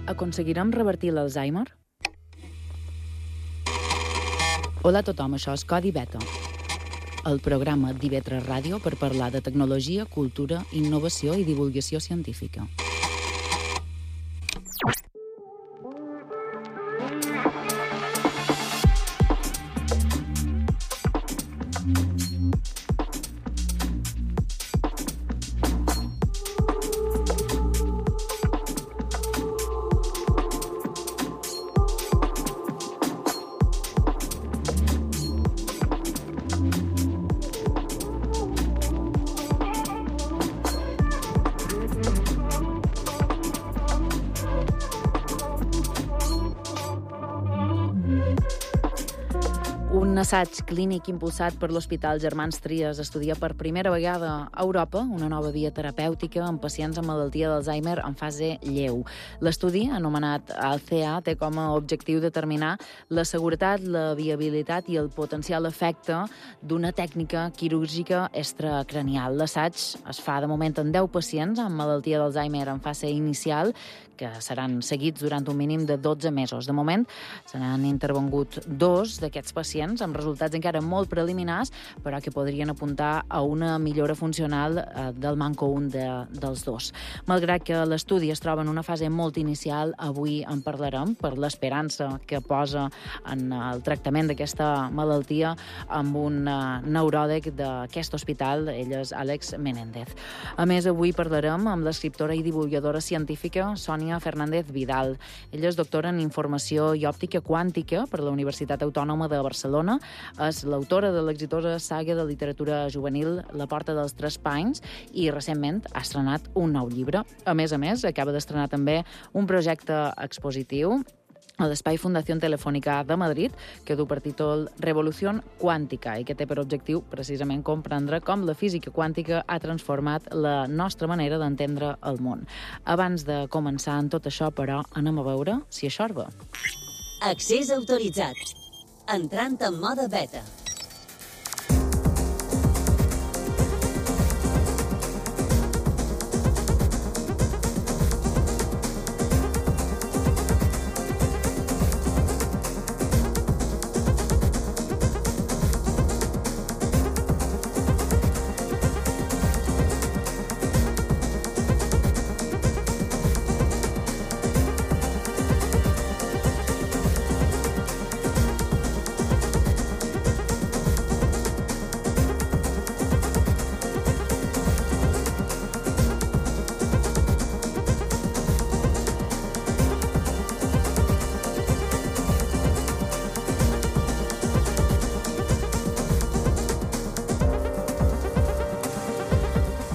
Aconseguirem revertir l'Alzheimer? Hola a tothom, això és Codi Beta, el programa d'IV3 Ràdio per parlar de tecnologia, cultura, innovació i divulgació científica. Un assaig clínic impulsat per l'Hospital Germans Trias estudia per primera vegada a Europa una nova via terapèutica en pacients amb malaltia d'Alzheimer en fase lleu. L'estudi, anomenat ALCEA, té com a objectiu determinar la seguretat, la viabilitat i el potencial efecte d'una tècnica quirúrgica extracranial. L'assaig es fa de moment en 10 pacients amb malaltia d'Alzheimer en fase inicial, que seran seguits durant un mínim de 12 mesos. De moment, se n'han intervengut 2 d'aquests pacients amb resultats encara molt preliminars, però que podrien apuntar a una millora funcional del manco un dels 2. Malgrat que l'estudi es troba en una fase molt inicial, avui en parlarem per l'esperança que posa en el tractament d'aquesta malaltia amb un neuròleg d'aquest hospital, ell és Àlex Menéndez. A més, avui parlarem amb l'escriptora i divulgadora científica Sònia Fernández Vidal. Ella és doctora en Informació i Òptica Quàntica per la Universitat Autònoma de Barcelona. És l'autora de l'exitosa saga de literatura juvenil La porta dels Tres Panys i recentment ha estrenat un nou llibre. A més, acaba d'estrenar també un projecte expositiu a l'Espai Fundació Telefònica de Madrid, que du per títol Revolució Quàntica i que té per objectiu precisament comprendre com la física quàntica ha transformat la nostra manera d'entendre el món. Abans de començar en tot això, però, anem a veure si això va. Accés autoritzat. Entrant en mode beta.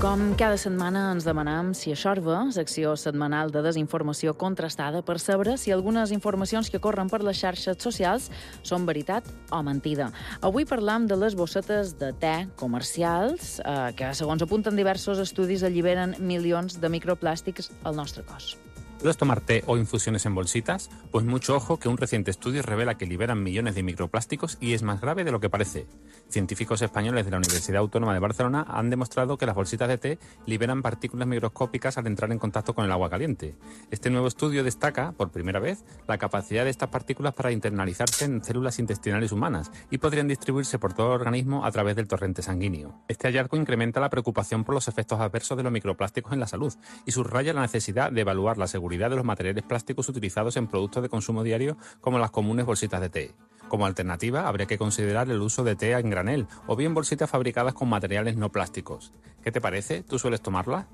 Com cada setmana ens demanem si això va, secció setmanal de desinformació contrastada per saber si algunes informacions que corren per les xarxes socials són veritat o mentida. Avui parlam de les bossetes de te comercials que, segons apunten diversos estudis, alliberen milions de microplàstics al nostre cos. ¿Puedes tomar té o infusiones en bolsitas? Pues mucho ojo, que un reciente estudio revela que liberan millones de microplásticos y es más grave de lo que parece. Científicos españoles de la Universidad Autónoma de Barcelona han demostrado que las bolsitas de té liberan partículas microscópicas al entrar en contacto con el agua caliente. Este nuevo estudio destaca, por primera vez, la capacidad de estas partículas para internalizarse en células intestinales humanas y podrían distribuirse por todo el organismo a través del torrente sanguíneo. Este hallazgo incrementa la preocupación por los efectos adversos de los microplásticos en la salud y subraya la necesidad de evaluar la seguridad de los materiales plásticos utilizados en productos de consumo diario como las comunes bolsitas de té. Como alternativa, habría que considerar el uso de té en granel o bien bolsitas fabricadas con materiales no plásticos. ¿Qué te parece? ¿Tú sueles tomarla?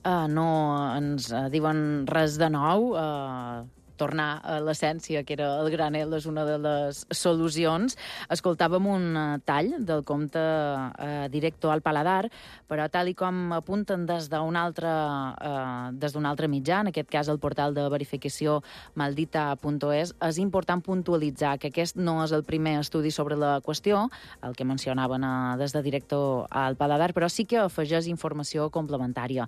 No ens diuen res de nou. Tornar a l'essència, que era el granel, és una de les solucions. Escoltàvem un tall del conte Directo al paladar, però tal i com apunten des d'un altre mitjà, en aquest cas el portal de verificació maldita.es, és important puntualitzar que aquest no és el primer estudi sobre la qüestió, el que mencionaven des de Directo al paladar, però sí que afegeix informació complementària.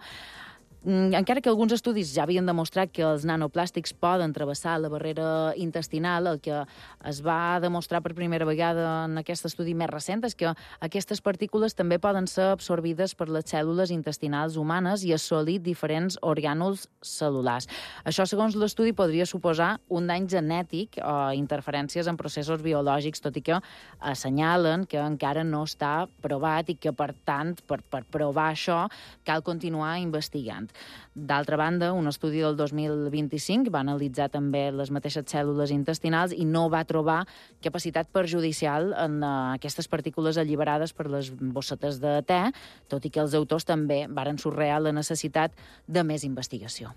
Encara que alguns estudis ja havien demostrat que els nanoplàstics poden travessar la barrera intestinal, el que es va demostrar per primera vegada en aquest estudi més recent és que aquestes partícules també poden ser absorbides per les cèl·lules intestinals humanes i assolir diferents orgànuls cel·lulars. Això, segons l'estudi, podria suposar un dany genètic o interferències en processos biològics, tot i que assenyalen que encara no està provat i que, per tant, per provar això, cal continuar investigant. D'altra banda, un estudi del 2025 va analitzar també les mateixes cèl·lules intestinals i no va trobar capacitat perjudicial en aquestes partícules alliberades per les bossetes de te, tot i que els autors també varen subratllar la necessitat de més investigació.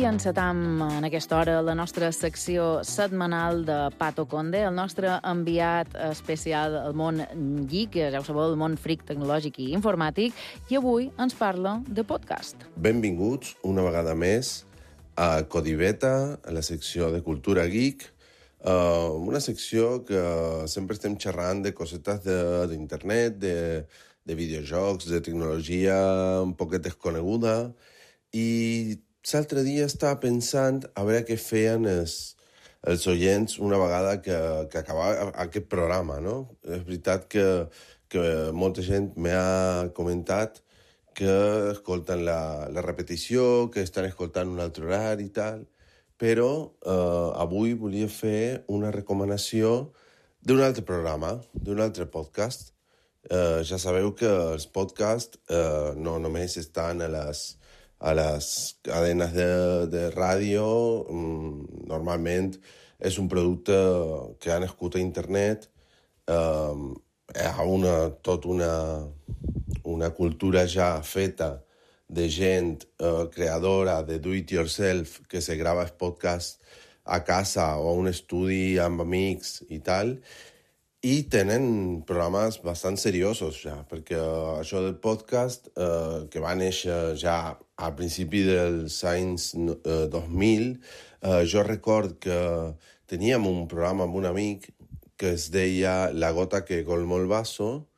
I encetam en aquesta hora la nostra secció setmanal de Pato Conde, el nostre enviat especial al món geek, ja ho sabeu, el món fric tecnològic i informàtic, i avui ens parla de podcast. Benvinguts una vegada més a Codiveta, a la secció de cultura geek, una secció que sempre estem xerrant de cosetes d'internet, de videojocs, de tecnologia un poquet desconeguda, i l'altre dia estava pensant a veure què feien els oients una vegada que acabava aquest programa, no? És veritat que molta gent m'ha comentat que escolten la repetició, que estan escoltant un altre horari i tal, però avui volia fer una recomanació d'un altre programa, d'un altre podcast. Ja sabeu que els podcasts no només estan a les cadenes de ràdio, normalment és un producte que ha nascut a internet, hi ha tota una cultura ja feta de gent creadora de do-it-yourself que se grava el podcast a casa o a un estudi amb amics i tal, i tenen programes bastant seriosos ja, perquè això del podcast, que va néixer ja al principi dels anys 2000, jo record que teníem un programa amb un amic que es deia La gota que colmó el vaso,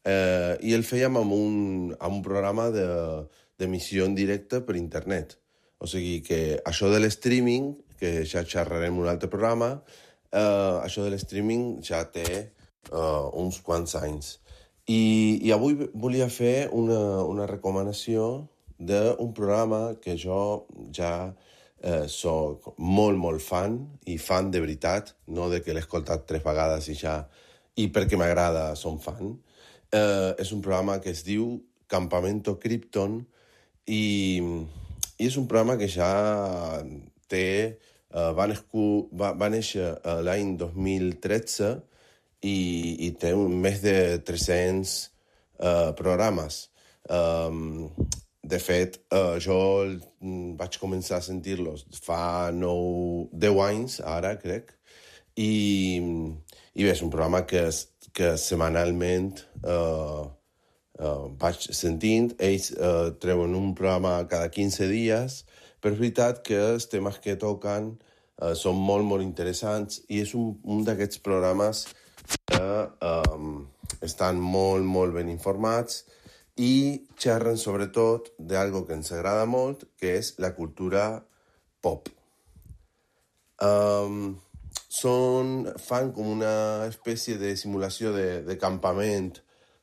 i el fèiem amb un programa d'emissió en directe per internet. O sigui que això de l'streaming, que ja xerrarem en un altre programa, això de l'streaming ja té uns quants anys. I avui volia fer una recomanació d'un programa que jo ja soc molt, molt fan, i fan de veritat, no de que l'he escoltat 3 vegades i perquè m'agrada som fan. És un programa que es diu Campamento Krypton i és un programa que ja té... va néixer l'any 2013 i té més de 300 programes. De fet, jo vaig començar a sentir-los fa 10 anys, ara crec, i bé, és un programa que setmanalment vaig sentint. Ells treuen un programa cada 15 dies, però és veritat que els temes que toquen són molt, molt interessants, i és un d'aquests programes que estan molt, molt ben informats i xerren sobretot d'algo que ens agrada molt, que és la cultura pop. Fan com una espècie de simulació de campament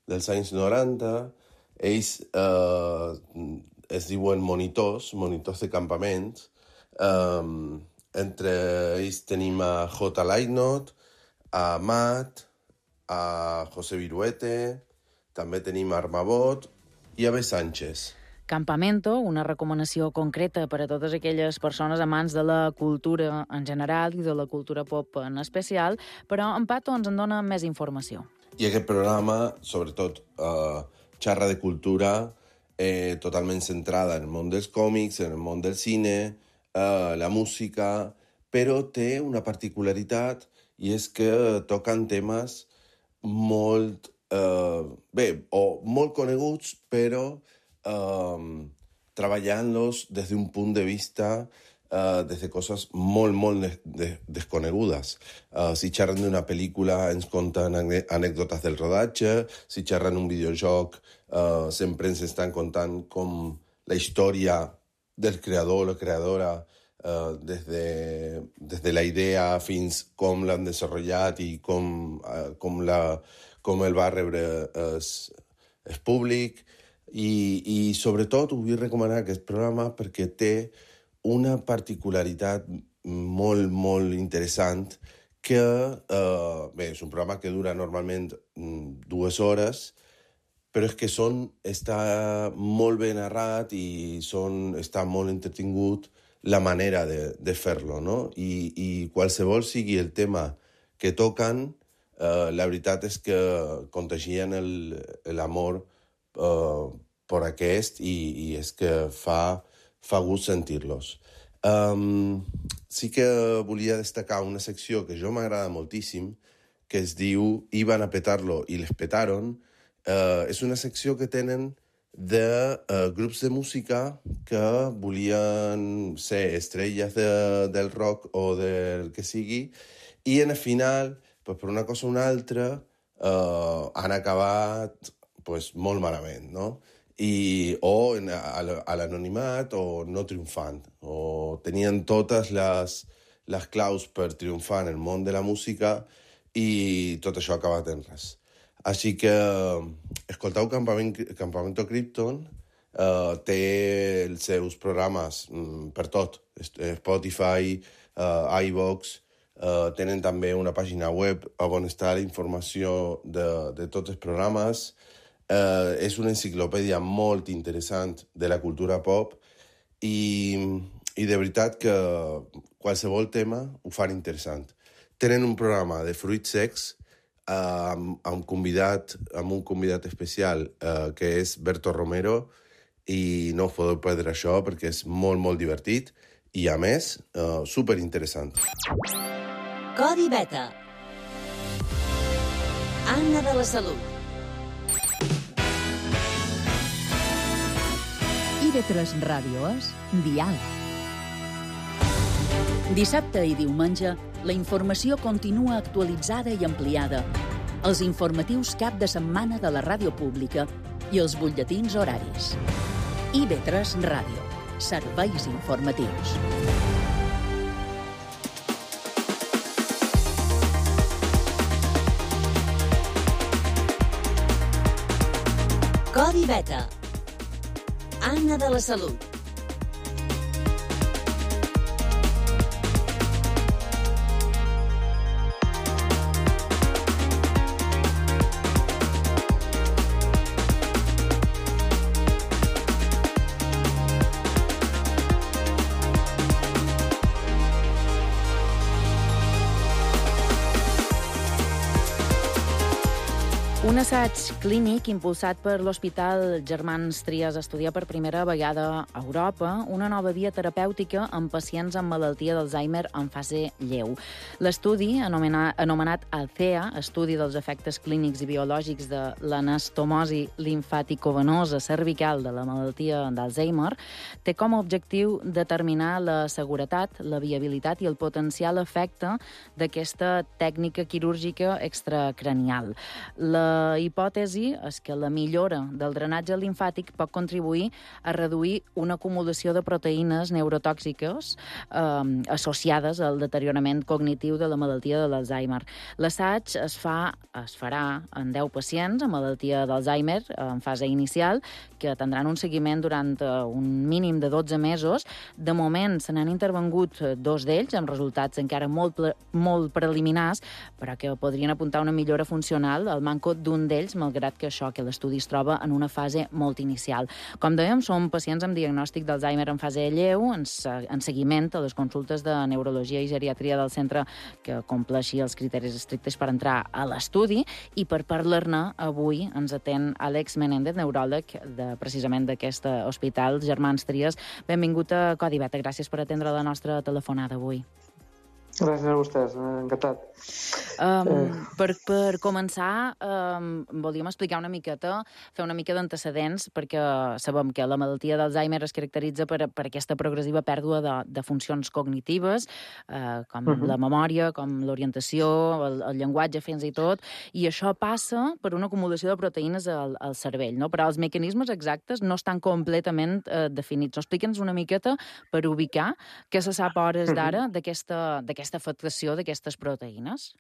dels anys 90. Ells es diuen monitors de campaments. Entre ells tenim a J. Lightnot, a Matt, a José Viruete, també tenim a Armabot i a B. Sánchez. Campamento, una recomanació concreta per a totes aquelles persones amants de la cultura en general i de la cultura pop en especial, però en Pato ens en dona més informació. I aquest programa, sobretot, xarra de cultura totalment centrada en el món dels còmics, en el món del cine, la música, però té una particularitat i és que toquen temes molt, molt coneguts, però treballant-los des d'un punt de vista des de coses molt desconegudes. Si xerren d'una pel·lícula ens conten anècdotes del rodatge, si xerren un videojoc sempre ens estan contant com la història del creador o la creadora des de la idea fins com l'han desenvolupat i com el va rebre el públic. I sobretot ho vull recomanar aquest programa perquè té una particularitat molt interessant que, és un programa que dura normalment 2 hores, però és que està molt ben narrat i està molt entretingut la manera de fer-lo, no? I qualsevol sigui el tema que toquen, la veritat és que contagien l'amor per aquest i és que fa gust sentir-los. Sí que volia destacar una secció que jo m'agrada moltíssim, que es diu Iban a petarlo i les petaron. És una secció que tenen de grups de música que volien ser estrelles del rock o del que sigui, i en el final, per una cosa o una altra, han acabat molt malament, no? O a l'anonimat o no triomfant, o tenien totes les claus per triomfar en el món de la música i tot això ha acabat en res. Així que escolteu Campamento Krypton, té els seus programes per tot, Spotify, iVoox, tenen també una pàgina web on està la informació de tots els programes. És una enciclopèdia molt interessant de la cultura pop i de veritat que qualsevol tema ho fan interessant. Tenen un programa de fruits secs amb un convidat especial que és Berto Romero, i no us podeu perdre això perquè és molt divertit i, a més, superinteressant. Codi Beta. Anna de la Salut. IB3 Ràdio és Dial. Dissabte i diumenge, la informació continua actualitzada i ampliada. Els informatius cap de setmana de la ràdio pública i els butlletins horaris. IB3 Ràdio. Serveis informatius. Codi Beta. Anna de la Salut. Un assaig clínic impulsat per l'Hospital Germans Trias estudia per primera vegada a Europa una nova via terapèutica en pacients amb malaltia d'Alzheimer en fase lleu. L'estudi, anomenat ALCEA, Estudi dels efectes clínics i biològics de l'anastomosi limfaticovenosa cervical de la malaltia d'Alzheimer, té com a objectiu determinar la seguretat, la viabilitat i el potencial efecte d'aquesta tècnica quirúrgica extracranial. La hipòtesi és que la millora del drenatge limfàtic pot contribuir a reduir una acumulació de proteïnes neurotòxiques associades al deteriorament cognitiu de la malaltia de l'Alzheimer. L'assaig es farà en 10 pacients amb malaltia d'Alzheimer en fase inicial, que tindran un seguiment durant un mínim de 12 mesos. De moment se n'han intervengut 2 d'ells, amb resultats encara molt preliminars, però que podrien apuntar una millora funcional al manco d'un d'un d'ells, malgrat que això, que l'estudi es troba en una fase molt inicial. Com dèiem, són pacients amb diagnòstic d'Alzheimer en fase lleu, en seguiment a les consultes de neurologia i geriatria del centre que compleixi els criteris estrictes per entrar a l'estudi, i per parlar-ne avui ens atén Àlex Menéndez, neuròleg precisament d'aquest hospital Germans Trias. Benvingut a Codi Beta, gràcies per atendre la nostra telefonada avui. Gràcies a vostès, encantat. Per començar, volíem explicar una miqueta, fer una mica d'antecedents, perquè sabem que la malaltia d'Alzheimer es caracteritza per aquesta progressiva pèrdua de funcions cognitives, com la memòria, com l'orientació, el llenguatge fins i tot, i això passa per una acumulació de proteïnes al cervell, no? Però els mecanismes exactes no estan completament definits. Explica'ns una miqueta per ubicar què se sap a hores d'ara d'aquesta afectació d'aquestes proteïnes.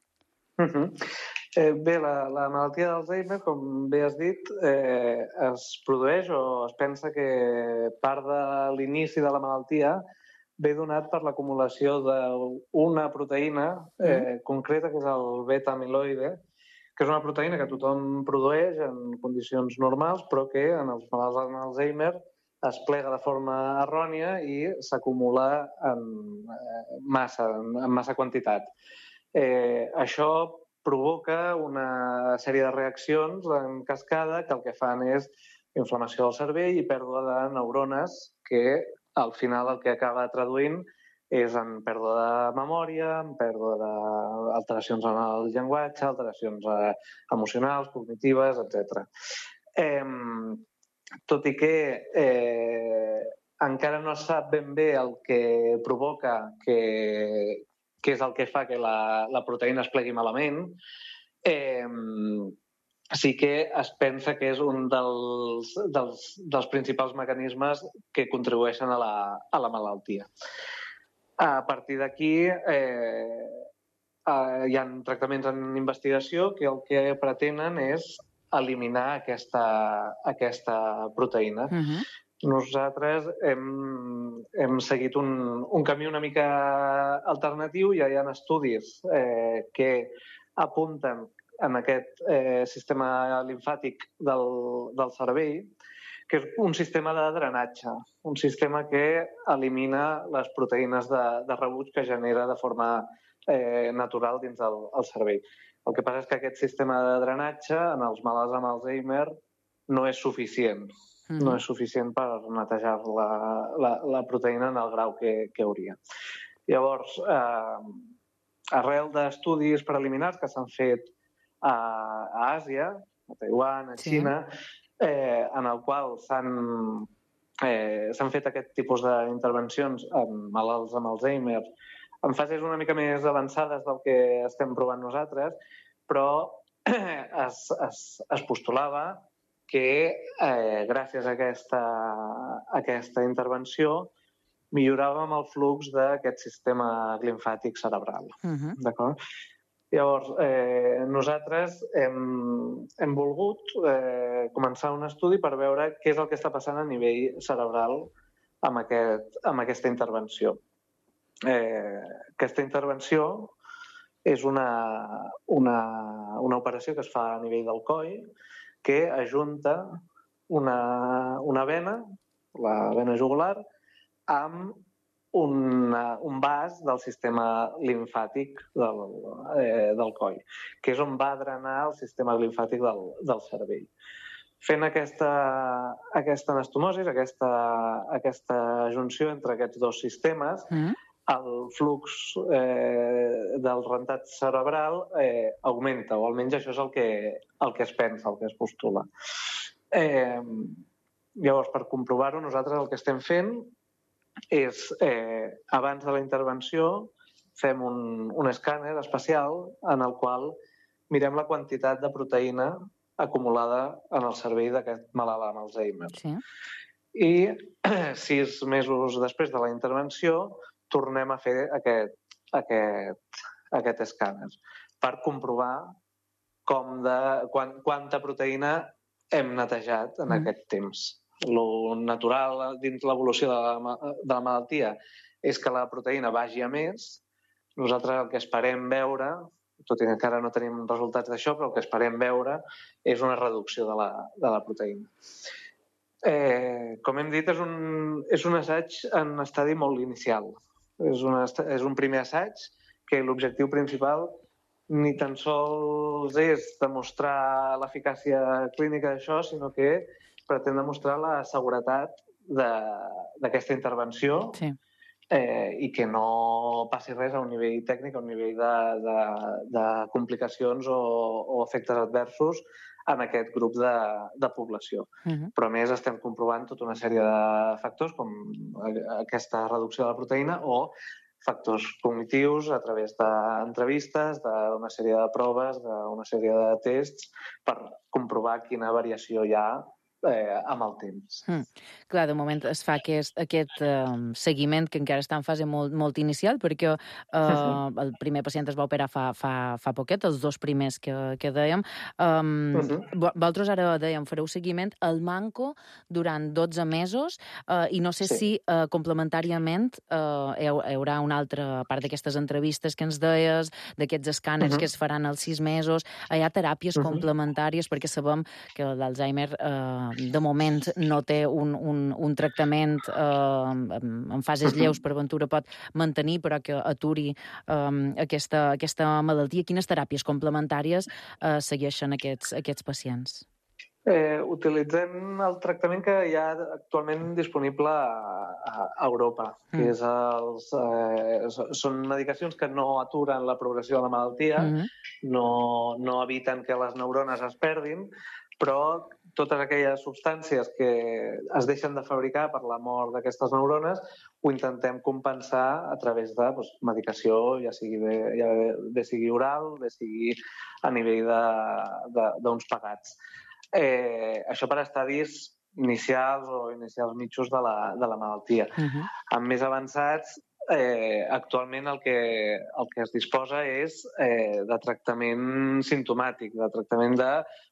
Bé, la malaltia d'Alzheimer, com bé has dit, es produeix o es pensa que part de l'inici de la malaltia ve donat per l'acumulació d'una proteïna concreta, que és el beta-amiloide, que és una proteïna que tothom produeix en condicions normals, però que en els malalts d'Alzheimer es plega de forma errònia i s'acumula en massa quantitat. Això provoca una sèrie de reaccions en cascada que el que fan és inflamació del cervell i pèrdua de neurones que al final el que acaba traduint és en pèrdua de memòria, en pèrdua d'alteracions en el llenguatge, alteracions emocionals, cognitives, etc. Tot i que encara no es sap ben bé el que provoca, què és el que fa que la proteïna es plegui malament, sí que es pensa que és un dels principals mecanismes que contribueixen a la malaltia. A partir d'aquí hi ha tractaments en investigació que el que pretenen és eliminar aquesta proteïna. Nosaltres hem seguit un camí una mica alternatiu. Ja hi ha estudis que apunten en aquest sistema limfàtic del cervell, que és un sistema de drenatge, un sistema que elimina les proteïnes de rebuig que genera de forma natural dins del cervell. El que passa és que aquest sistema de drenatge en els malalts amb Alzheimer no és suficient. No és suficient per netejar la proteïna en el grau que hauria. Llavors, arrel d'estudis preliminars que s'han fet a Àsia, a Taiwan, a Xina, en el qual s'han fet aquest tipus d'intervencions amb malalts amb Alzheimer en fases una mica més avançades del que estem provant nosaltres, però es postulava que gràcies a aquesta intervenció milloràvem el flux d'aquest sistema limfàtic cerebral. D'acord? Llavors, nosaltres hem volgut començar un estudi per veure què és el que està passant a nivell cerebral amb aquesta intervenció. Aquesta intervenció és una operació que es fa a nivell del coll que ajunta una vena, la vena jugular, amb un vas del sistema limfàtic del coll, que és on va drenar el sistema limfàtic del cervell. Fent aquesta anastomosi, aquesta junció entre aquests dos sistemes, el flux del rentat cerebral augmenta, o almenys això és el que es pensa, el que es postula. Llavors, per comprovar-ho, nosaltres el que estem fent és, abans de la intervenció, fem un escàner especial en el qual mirem la quantitat de proteïna acumulada en el cervell d'aquest malalt amb Alzheimer. I 6 mesos després de la intervenció tornem a fer aquest escàner per comprovar quanta proteïna hem netejat en aquest temps. Lo natural dins l'evolució de la malaltia és que la proteïna vagi a més. Nosaltres el que esperem veure, tot i que encara no tenim resultats d'això, però el que esperem veure és una reducció de la proteïna. Com hem dit, és un assaig en estadi molt inicial. És un primer assaig que l'objectiu principal ni tan sols és demostrar l'eficàcia clínica d'això, sinó que pretén demostrar la seguretat d'aquesta intervenció i que no passi res a un nivell tècnic, a un nivell de complicacions o efectes adversos en aquest grup de població. Però a més estem comprovant tota una sèrie de factors com aquesta reducció de la proteïna o factors cognitius a través d'entrevistes, d'una sèrie de proves, d'una sèrie de tests per comprovar quina variació hi ha amb el temps. Clar, de moment es fa aquest seguiment que encara està en fase molt inicial, perquè el primer pacient es va operar fa poquet, els dos primers que dèiem. Vosaltres ara dèiem, fareu seguiment al manco durant 12 mesos i no sé si complementàriament hi haurà una altra part d'aquestes entrevistes que ens deies, d'aquests escàners que es faran als 6 mesos. Hi ha teràpies complementàries perquè sabem que l'Alzheimer de moment no té un tractament en fases lleus, per ventura pot mantenir, però que aturi aquesta malaltia. Quines teràpies complementàries segueixen aquests pacients? Utilitzem el tractament que hi ha actualment disponible a Europa, que són medicacions que no aturen la progressió de la malaltia, no eviten que les neurones es perdin, però totes aquelles substàncies que es deixen de fabricar per la mort d'aquestes neurones ho intentem compensar a través de medicació, ja sigui oral, bé sigui a nivell d'uns pegats. Això per estadis inicials o inicials mitjos de la malaltia. Amb més avançats, actualment el que es disposa és de tractament simptomàtic, de tractament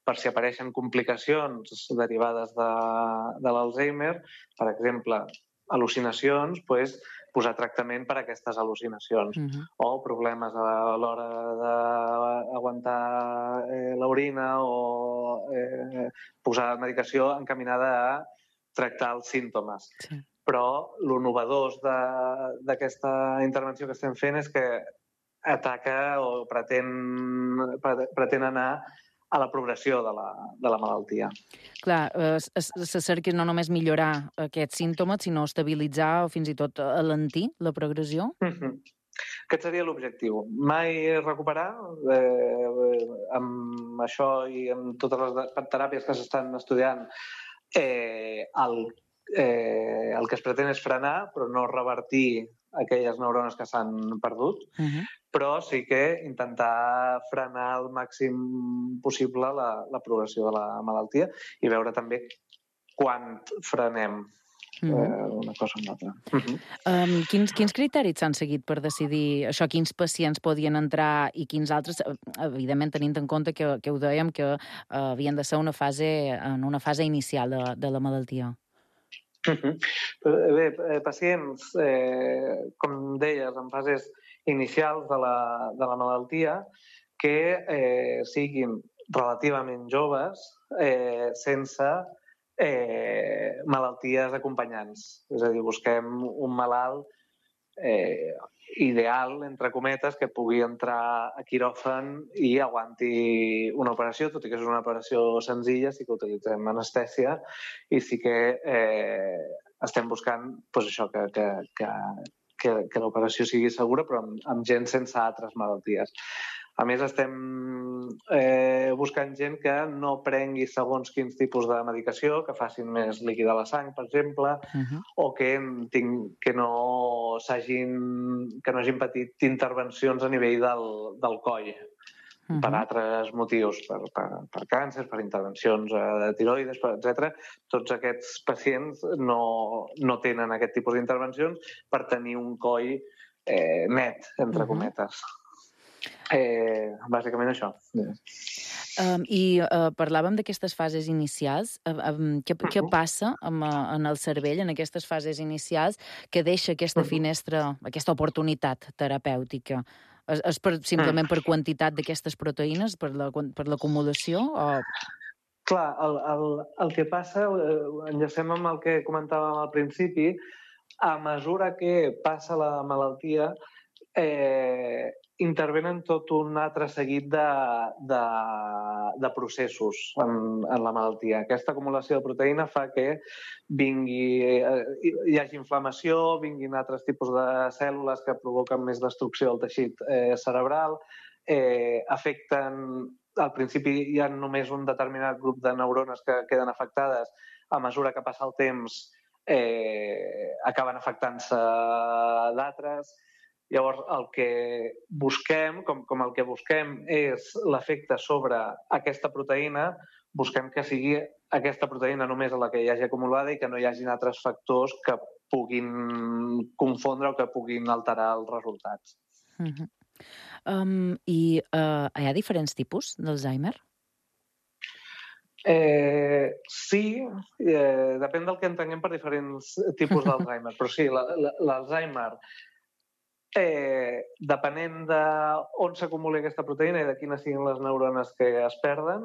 per si apareixen complicacions derivades de l'Alzheimer, per exemple, al·lucinacions, posar tractament per a aquestes al·lucinacions o problemes a l'hora d'aguantar l'orina o posar medicació encaminada a tractar els símptomes. Però el innovador d'aquesta intervenció que estem fent és que ataca o pretén anar a la progressió de la malaltia. Clar, se cerca no només millorar aquests símptomes, sinó estabilitzar o fins i tot alentir la progressió? Aquest seria l'objectiu. Mai recuperar, amb això i amb totes les teràpies que s'estan estudiant, el que es pretén és frenar, però no revertir aquelles neurones que s'han perdut, però sí que intentar frenar al màxim possible la progressió de la malaltia i veure també quan frenem una cosa o una altra. Quins criteris s'han seguit per decidir això, quins pacients podien entrar i quins altres, evidentment tenint en compte que ho dèiem que havien de ser en una fase inicial de la malaltia? Bé, pacients, com deies, en fases inicials de la malaltia que siguin relativament joves sense malalties acompanyants. És a dir, busquem un malalt ideal, entre cometes, que pugui entrar a quiròfan i aguanti una operació, tot i que és una operació senzilla, sí que utilitzem anestèsia i sí que estem buscant això, que l'operació sigui segura, però amb gent sense altres malalties. A més, estem buscant gent que no prengui segons quins tipus de medicació, que facin més líquida la sang, per exemple, o que no hagin patit intervencions a nivell del coll per altres motius, per càncer, per intervencions de tiroides, etc. Tots aquests pacients no tenen aquest tipus d'intervencions per tenir un coll net, entre cometes. Bàsicament això. I parlàvem d'aquestes fases inicials. Què passa en el cervell en aquestes fases inicials que deixa aquesta finestra, aquesta oportunitat terapèutica? És simplement per quantitat d'aquestes proteïnes, per l'acumulació? Clar, el que passa, enllacem amb el que comentàvem al principi, a mesura que passa la malaltia, intervenen tot un altre seguit de processos en la malaltia. Aquesta acumulació de proteïna fa que hi hagi inflamació, vinguin altres tipus de cèl·lules que provoquen més destrucció del teixit cerebral, afecten... Al principi hi ha només un determinat grup de neurones que queden afectades. A mesura que passa el temps acaben afectant-se d'altres. Llavors, el que busquem, com el que busquem és l'efecte sobre aquesta proteïna, busquem que sigui aquesta proteïna només la que hi hagi acumulada i que no hi hagin altres factors que puguin confondre o que puguin alterar els resultats. I hi ha diferents tipus d'Alzheimer? Sí, depèn del que entenguem per diferents tipus d'Alzheimer, però sí, l'Alzheimer, depenent d'on s'acumuli aquesta proteïna i de quines siguin les neurones que es perden,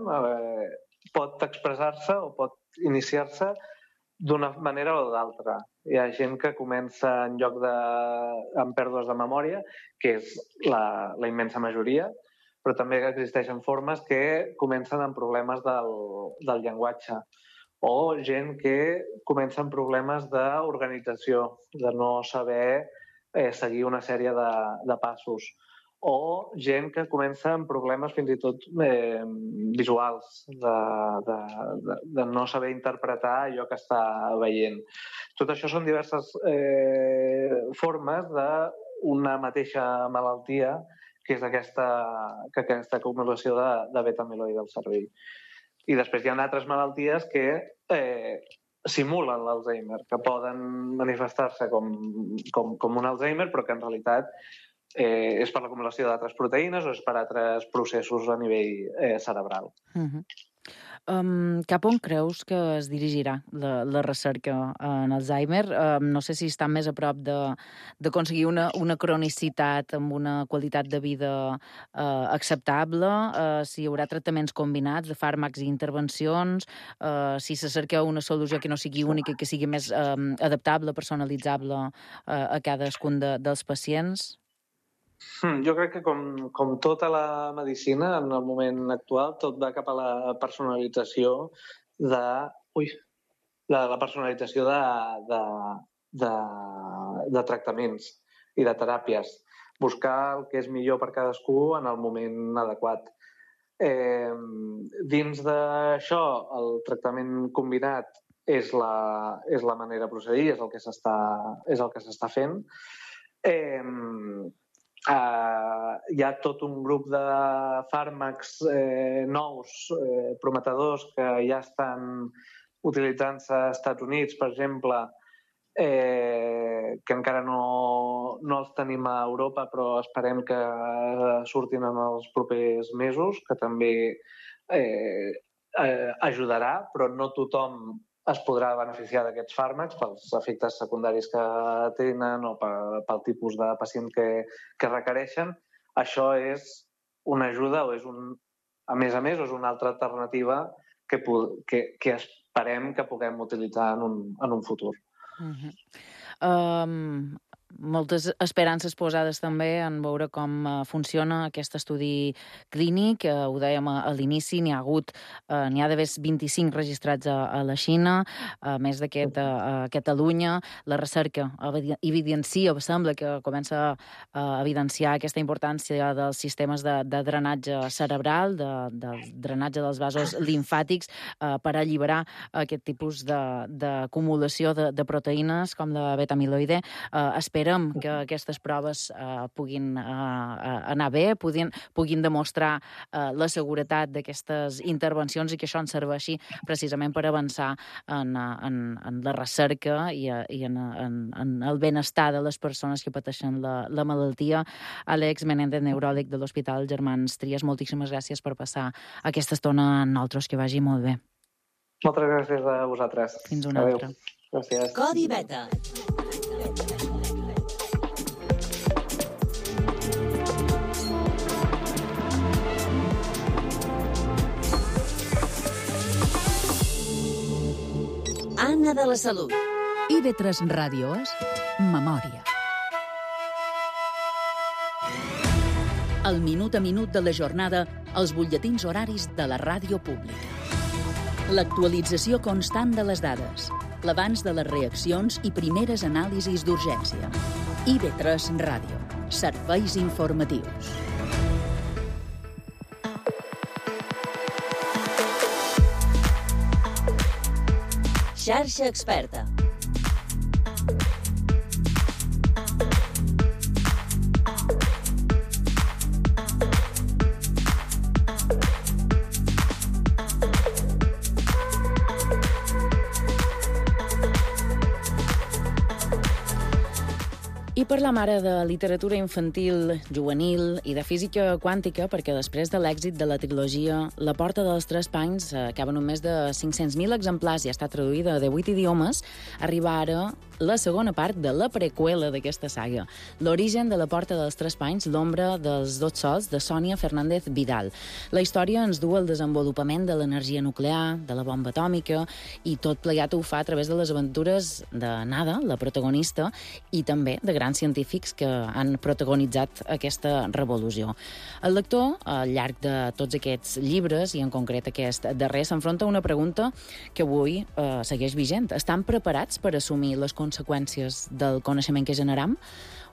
pot expressar-se o pot iniciar-se d'una manera o d'altra. Hi ha gent que comença amb pèrdues de memòria, que és la immensa majoria, però també existeixen formes que comencen amb problemes del llenguatge, o gent que comença amb problemes d'organització, de no saber seguir una sèrie de passos, o gent que comença amb problemes fins i tot visuals, de no saber interpretar allò que està veient. Tot això són diverses formes d'una mateixa malaltia, que és aquesta acumulació de beta-amiloide al cervell. I després hi ha altres malalties que simulen l'Alzheimer, que poden manifestar-se com un Alzheimer, però que en realitat és per l'acumulació d'altres proteïnes o és per altres processos a nivell cerebral. Cap on creus que es dirigirà la recerca en Alzheimer? No sé si està més a prop d'aconseguir una cronicitat amb una qualitat de vida acceptable, si hi haurà tractaments combinats de fàrmacs i intervencions, si se cerca una solució que no sigui única i que sigui més adaptable, personalitzable a cadascun dels pacients? Jo crec que com tota la medicina, en el moment actual, tot va cap a la personalització de tractaments i de teràpies. Buscar el que és millor per cadascú en el moment adequat. Dins d'això, el tractament combinat és la manera de procedir, és el que s'està fent. Hi ha tot un grup de fàrmacs nous, prometedors, que ja estan utilitzant-se als Estats Units, per exemple, que encara no els tenim a Europa, però esperem que surtin en els propers mesos, que també ajudarà, però no tothom es podrà beneficiar d'aquests fàrmacs pels efectes secundaris que tenen o pel tipus de pacient que requereixen. Això és una ajuda o és a més, és una altra alternativa que esperem que puguem utilitzar en un futur. Moltes esperances posades també en veure com funciona aquest estudi clínic. Ho dèiem a l'inici, n'hi ha d'haver 25 registrats a la Xina, a més d'aquest a Catalunya. La recerca evidencia, sembla que comença a evidenciar aquesta importància dels sistemes de drenatge cerebral, del drenatge dels vasos limfàtics, per alliberar aquest tipus d'acumulació de proteïnes com la beta-amiloide. Esperem que aquestes proves puguin anar bé, puguin demostrar la seguretat d'aquestes intervencions i que això ens serveixi precisament per avançar en la recerca i en el benestar de les persones que pateixen la malaltia. Àlex Menéndez, neuròleg de l'Hospital Germans Trias, moltíssimes gràcies per passar aquesta estona amb nosaltres, que vagi molt bé. Moltes gràcies a vosaltres. Fins una altra. Gràcies. Codi Beta. Anna de la Salut. IB3 Ràdio és Memòria. El minut a minut de la jornada, els butlletins horaris de la ràdio pública. L'actualització constant de les dades, l'abans de les reaccions i primeres anàlisis d'urgència. IB3 Ràdio. Serveis informatius. Xarxa Experta. I parlam ara de literatura infantil, juvenil i de física quàntica, perquè després de l'èxit de la trilogia La porta dels tres panys, que en un més de 500.000 exemplars i està traduïda a 18 idiomes, arriba ara la segona part de la preqüela d'aquesta saga, L'origen de la porta dels tres panys, l'ombra dels dos sols, de Sònia Fernández Vidal. La història ens du al desenvolupament de l'energia nuclear, de la bomba atòmica, i tot plegat ho fa a través de les aventures de Nada, la protagonista, i també de grans científics que han protagonitzat aquesta revolució. El lector, al llarg de tots aquests llibres, i en concret aquest darrer, s'enfronta a una pregunta que avui segueix vigent. Estan preparats per assumir les conseqüències del coneixement que generam?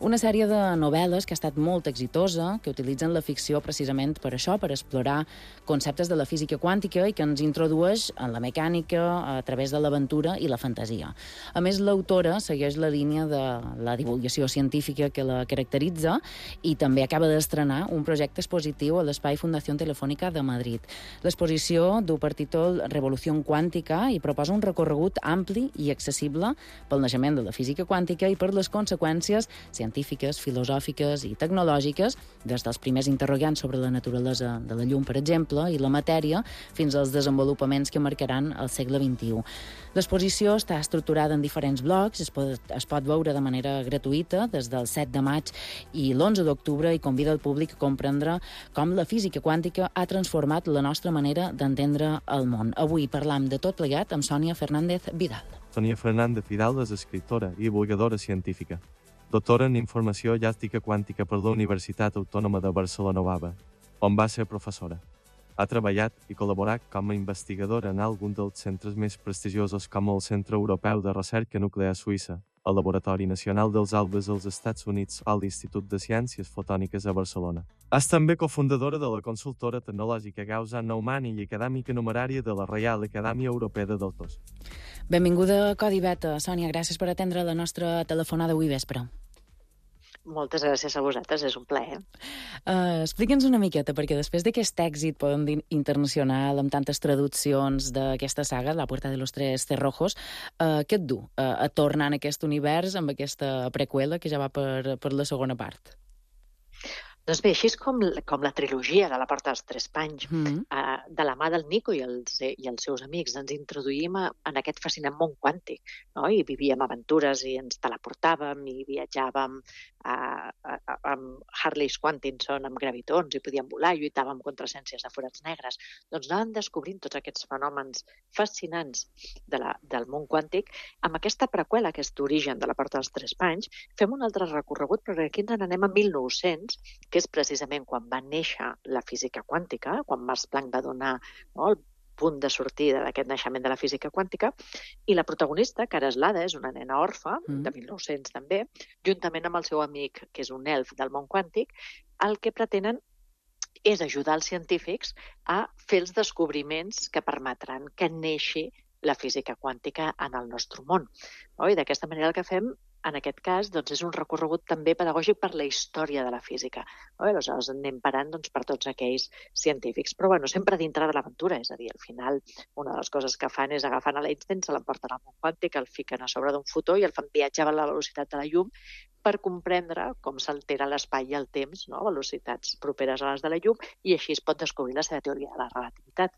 Una sèrie de novel·les que ha estat molt exitosa, que utilitzen la ficció precisament per això, per explorar conceptes de la física quàntica i que ens introdueix en la mecànica a través de l'aventura i la fantasia. A més, l'autora segueix la línia de la divulgació científica que la caracteritza i també acaba d'estrenar un projecte expositiu a l'Espai Fundació Telefònica de Madrid. L'exposició du per títol Revolució quàntica i proposa un recorregut ampli i accessible pel naixement de la física quàntica i per les conseqüències científiques, filosòfiques i tecnològiques, des dels primers interrogants sobre la naturalesa de la llum, per exemple, i la matèria, fins als desenvolupaments que marcaran el segle XXI. L'exposició està estructurada en diferents blocs, es pot veure de manera gratuïta des del 7 de maig i l'11 d'octubre i convida el públic a comprendre com la física quàntica ha transformat la nostra manera d'entendre el món. Avui parlam de tot plegat amb Sònia Fernández Vidal. Sònia Fernández Vidal és escriptora i divulgadora científica. Doctora en Informació i Ètica Quàntica per la Universitat Autònoma de Barcelona, on va ser professora. Ha treballat i col·laborat com a investigadora en alguns dels centres més prestigiosos com el Centre Europeu de Recerca Nuclear Suïssa, el Laboratori Nacional dels Albes als Estats Units o l'Institut de Ciències Fotòniques a Barcelona. És també cofundadora de la consultora tecnològica Gauss-Neumann i acadèmica numerària de la Reial Acadèmia Europea de Doctors. Benvinguda a Codi Beta. Sònia, gràcies per atendre la nostra telefonada avui vespre. Moltes gràcies a vosaltres, és un plaer. Explica'ns una miqueta, perquè després d'aquest èxit, podem dir, internacional, amb tantes traduccions d'aquesta saga, La puerta de los tres cerrojos, què et du a tornar en aquest univers amb aquesta preqüela que ja va per la segona part? Doncs bé, així és com la trilogia de La porta dels tres panys. De la mà del Nico i els seus amics ens introduïm en aquest fascinant món quàntic, no? I vivíem aventures i ens teleportàvem i viatjàvem amb Harleys Quantinson, amb gravitons, i podíem volar, lluitàvem contra essències de forats negres. Doncs anàvem descobrint tots aquests fenòmens fascinants del món quàntic. Amb aquesta preqüela, aquest origen de La porta dels tres panys, fem un altre recorregut, però aquí ens n'anem a 1900, que és precisament quan va néixer la física quàntica, quan Max Planck va donar, no, el punt de sortida d'aquest naixement de la física quàntica, i la protagonista, que ara és l'Ada, és una nena orfa, de 1900 també, juntament amb el seu amic, que és un elf del món quàntic, el que pretenen és ajudar els científics a fer els descobriments que permetran que neixi la física quàntica en el nostre món. I d'aquesta manera el que fem, en aquest cas, doncs, és un recorregut també pedagògic per la història de la física. Aleshores anem parant per tots aquells científics. Però sempre dintre de l'aventura, és a dir, al final una de les coses que fan és agafant a l'Einstein, se l'emporten al món quàntic, el fiquen a sobre d'un fotó i el fan viatjar a la velocitat de la llum per comprendre com s'altera l'espai i el temps, a velocitats properes a les de la llum, i així es pot descobrir la seva teoria de la relativitat.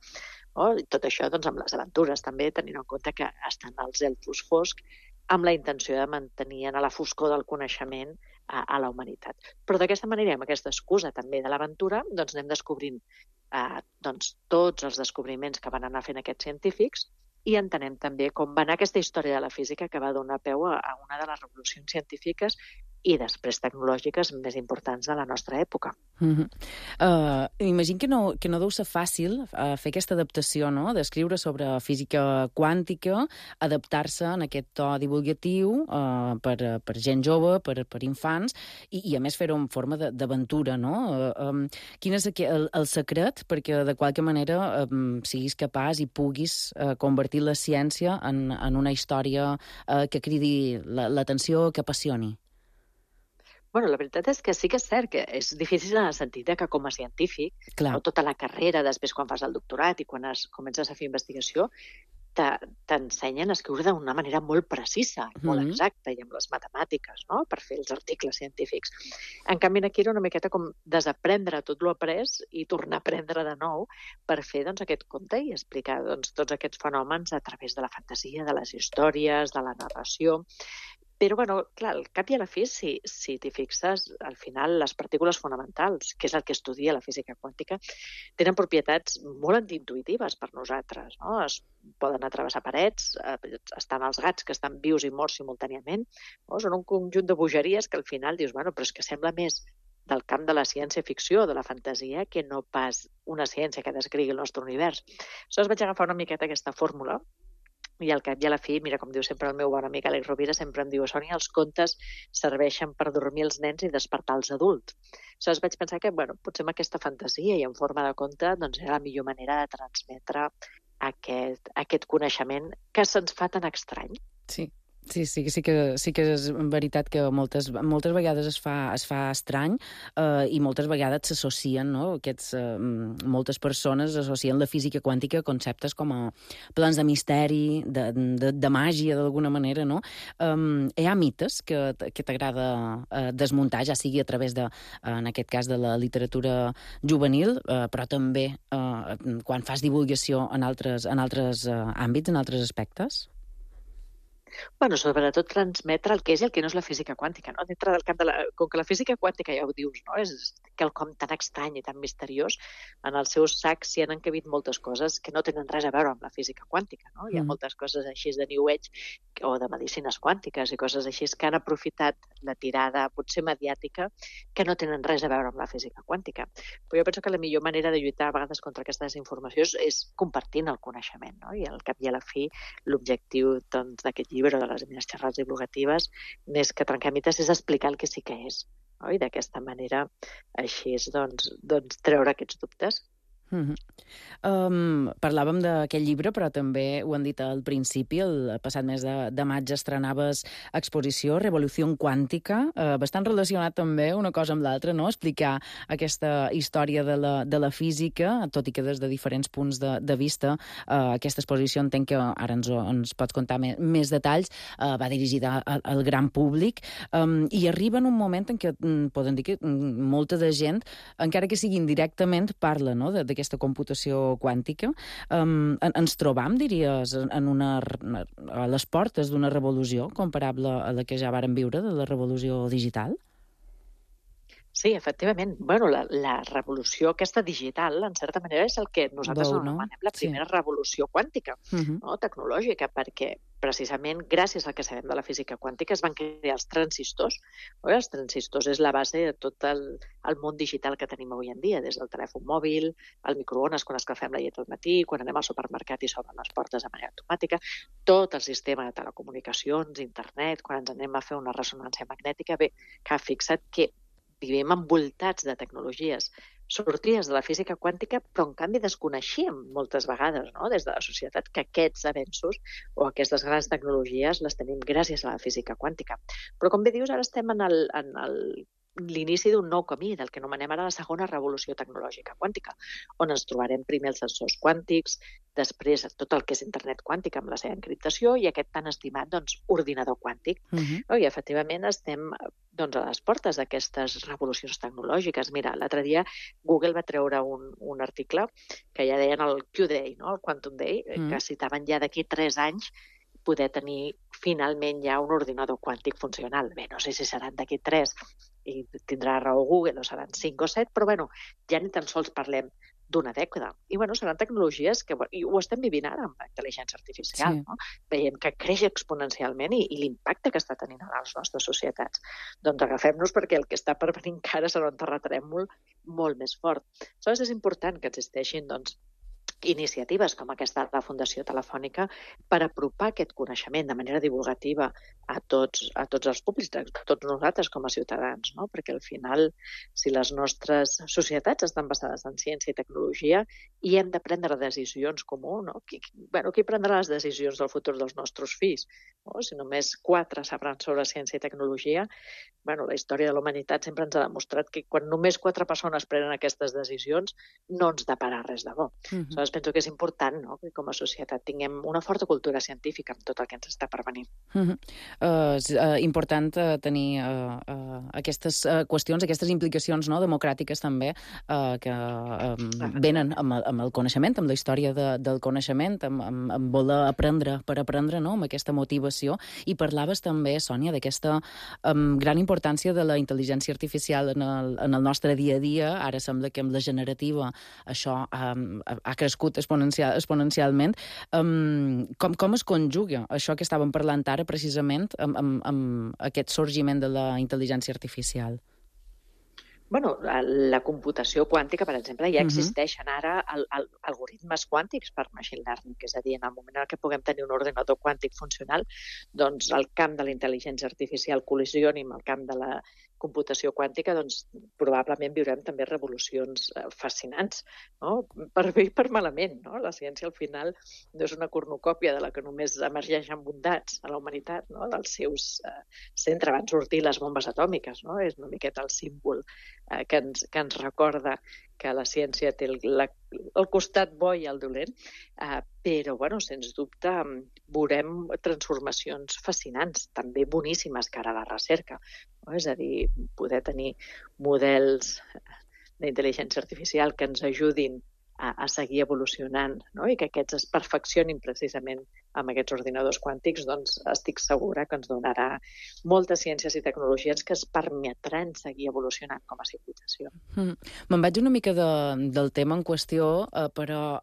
I tot això amb les aventures també, tenint en compte que estan els elfos foscs amb la intenció de mantenir a la foscor del coneixement a la humanitat. Però d'aquesta manera, amb aquesta excusa també de l'aventura, anem descobrint tots els descobriments que van anar fent aquests científics i entenem també com va anar aquesta història de la física que va donar peu a una de les revolucions científiques i després tecnològiques més importants de la nostra època. Imagino que no deu ser fàcil fer aquesta adaptació, no?, d'escriure sobre física quàntica, adaptar-se en aquest to divulgatiu per gent jove, per infants, i a més fer-ho en forma d'aventura, no? Quin és el secret perquè de qualque manera siguis capaç i puguis convertir la ciència en una història que cridi l'atenció, que apassioni? Bueno, la veritat és que sí que és cert que és difícil en el sentit que com a científic, tota la carrera, després quan fas el doctorat i quan comences a fer investigació, t'ensenyen a escriure d'una manera molt precisa, molt exacta, i amb les matemàtiques, no?, per fer els articles científics. En canvi, aquí era una miqueta com desaprendre tot l'après i tornar a aprendre de nou per fer aquest conte i explicar tots aquests fenòmens a través de la fantasia, de les històries, de la narració. Però, clar, al cap i a la fi, si t'hi fixes, al final les partícules fonamentals, que és el que estudia la física quàntica, tenen propietats molt antiintuïtives per nosaltres, no? Es poden atravessar parets, estan els gats que estan vius i morts simultàniament, no? Són un conjunt de bogeries que al final dius, però és que sembla més del camp de la ciència-ficció, de la fantasia, que no pas una ciència que descrigui el nostre univers. Aleshores vaig agafar una miqueta aquesta fórmula i al cap i a la fi, mira, com diu sempre el meu bon amic Àlex Rovira, sempre em diu, Sònia, els contes serveixen per dormir els nens i despertar els adults. Aleshores vaig pensar que, potser amb aquesta fantasia i en forma de conte, era la millor manera de transmetre aquest coneixement que se'ns fa tan estrany. Sí que és veritat que moltes vegades es fa estrany i moltes vegades s'associen, no? Moltes persones associen la física quàntica a conceptes com a plans de misteri, de màgia, d'alguna manera, no? Hi ha mites que t'agrada desmuntar, ja sigui a través en aquest cas, de la literatura juvenil, però també quan fas divulgació en altres àmbits, en altres aspectes? Sobretot transmetre el que és i el que no és la física quàntica, no? Dintre del camp com que la física quàntica, ja ho dius, no?, és quelcom tan estrany i tan misteriós, en els seus sacs s'hi han encabit moltes coses que no tenen res a veure amb la física quàntica, no? Hi ha moltes coses així de New Age o de medicines quàntiques i coses així que han aprofitat la tirada potser mediàtica que no tenen res a veure amb la física quàntica. Però jo penso que la millor manera de lluitar a vegades contra aquesta desinformació és compartint el coneixement, no? I al cap i a la fi l'objectiu d'aquest llibre o de les meves xerrades divulgatives, més que trencar mites, és explicar el que sí que és, no? I d'aquesta manera, així és, treure aquests dubtes. Parlàvem d'aquest llibre, però també ho han dit al principi, el passat mes de maig estrenaves exposició Revolució Quàntica, bastant relacionat també una cosa amb l'altra, no? Explicar aquesta història de la física, tot i que des de diferents punts de vista. Aquesta exposició entenc que ara ens pots contar més detalls, va dirigida al gran públic i arriba en un moment en què poden dir que molta de gent, encara que sigui indirectament, parla, no?, d'aquesta computació quàntica. Ens trobam, diries, a les portes d'una revolució comparable a la que ja vàrem viure, de la revolució digital? Sí, efectivament. La revolució aquesta digital, en certa manera, és el que nosaltres anomenem la primera revolució quàntica, tecnològica, perquè precisament gràcies al que sabem de la física quàntica es van crear els transistors. Els transistors és la base de tot el món digital que tenim avui en dia, des del telèfon mòbil, el microones quan escalfem la llet al matí, quan anem al supermercat i s'obren les portes de manera automàtica, tot el sistema de telecomunicacions, internet, quan ens anem a fer una ressonància magnètica. Bé, que ha fixat que vivim envoltats de tecnologies sortides de la física quàntica, però en canvi desconeixíem moltes vegades, no?, des de la societat, que aquests avenços o aquestes grans tecnologies les tenim gràcies a la física quàntica. Però, com bé dius, ara estem en l'inici d'un nou camí, del que anomenem ara la segona revolució tecnològica quàntica, on ens trobarem primer els sensors quàntics, després tot el que és internet quàntic amb la seva encriptació i aquest tan estimat ordinador quàntic. I efectivament estem a les portes d'aquestes revolucions tecnològiques. Mira, l'altre dia Google va treure un article que ja deien el Q-Day, el Quantum Day, que citaven ja d'aquí 3 anys poder tenir finalment ja un ordinador quàntic funcional. Bé, no sé si seran d'aquí 3 i tindrà raó Google o seran 5 o 7, però ja ni tan sols parlem d'una dècada. I, seran tecnologies que, i ho estem vivint ara amb la intel·ligència artificial, no? Veiem que creix exponencialment i l'impacte que està tenint a les nostres societats. Doncs agafem-nos perquè el que està per venir encara serà un terratrèmol molt més fort. Aleshores, és important que existeixin, iniciatives com aquesta de la Fundació Telefònica per apropar aquest coneixement de manera divulgativa a tots els públics, a tots nosaltres com a ciutadans, no? Perquè al final, si les nostres societats estan basades en ciència i tecnologia i hem de prendre decisions comú, no? Qui prendrà les decisions del futur dels nostres fills? No? Si només 4 sabran sobre ciència i tecnologia, la història de la humanitat sempre ens ha demostrat que quan només 4 persones prenen aquestes decisions no ens depara res de bo. Aleshores, penso que és important, no?, que com a societat tinguem una forta cultura científica amb tot el que ens està per venir. És important tenir aquestes qüestions, aquestes implicacions, no?, democràtiques també, que venen amb el coneixement, amb la història del coneixement, amb voler aprendre per aprendre, no?, amb aquesta motivació. I parlaves també, Sònia, d'aquesta gran importància de la intel·ligència artificial en el nostre dia a dia. Ara sembla que amb la generativa això ha crescut exponencialment. Com es conjuga això que estàvem parlant ara precisament amb aquest sorgiment de la intel·ligència artificial? La computació quàntica, per exemple, ja existeixen ara algoritmes quàntics per machine learning, és a dir, en el moment en què puguem tenir un ordinador quàntic funcional, doncs el camp de la intel·ligència artificial col·lisioni amb el camp de la computació quàntica, doncs probablement viurem també revolucions fascinants, no? Per bé i per malament, no? La ciència al final no és una cornucòpia de la que només emergeixen bondats a la humanitat, no? Dels seus centres van sortir les bombes atòmiques, no? És una miqueta el símbol que ens recorda que la ciència té el costat bo i el dolent, però, sens dubte, veurem transformacions fascinants, també boníssimes cara a la recerca. És a dir, poder tenir models d'intel·ligència artificial que ens ajudin a seguir evolucionant, no? I que aquests es perfeccionin precisament amb aquests ordinadors quàntics, doncs estic segura que ens donarà moltes ciències i tecnologies que es permetran seguir evolucionant com a civilizació. Me'n vaig una mica del tema en qüestió, però